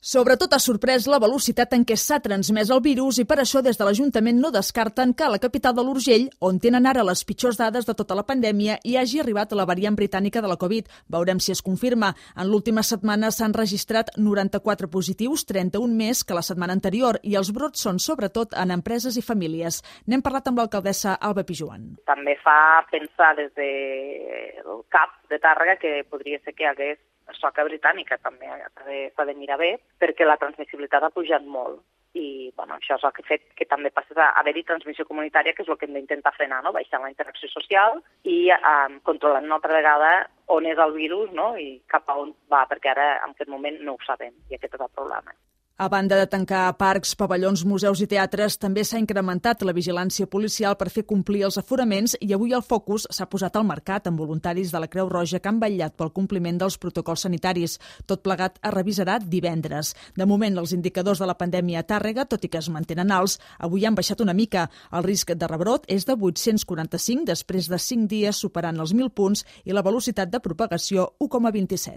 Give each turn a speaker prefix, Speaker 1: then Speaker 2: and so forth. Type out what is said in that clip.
Speaker 1: Sobretot ha sorprès la velocitat en què s'ha transmès el virus i per això des de l'Ajuntament no descarten que a la capital de l'Urgell, on tenen ara les pitjors dades de tota la pandèmia, hi hagi arribat la variant britànica de la Covid. Veurem si es confirma. En l'última setmana s'han registrat 94 positius, 31 més que la setmana anterior, i els brots són sobretot en empreses i famílies. N'hem parlat amb l'alcaldessa Alba Pijuan.
Speaker 2: També fa pensar des del CAP de Tàrrega que podria ser que hi hagués soca britànica, també s'ha de mirar bé, perquè la transmissibilitat ha pujat molt. I això és el que ha fet que també passi a haver-hi transmissió comunitària, que és el que hem d'intentar frenar, baixant la interacció social i controlant una altra vegada on és el virus i cap a on va, perquè ara en aquest moment no ho sabem i aquest és el problema.
Speaker 1: A banda de tancar parcs, pavellons, museus i teatres, també s'ha incrementat la vigilància policial per fer complir els aforaments i avui el focus s'ha posat al mercat amb voluntaris de la Creu Roja que han vetllat pel compliment dels protocols sanitaris. Tot plegat es revisarà divendres. De moment, els indicadors de la pandèmia a Tàrrega, tot i que es mantenen alts, avui han baixat una mica. El risc de rebrot és de 845 després de 5 dies superant els 1.000 punts i la velocitat de propagació 1,27.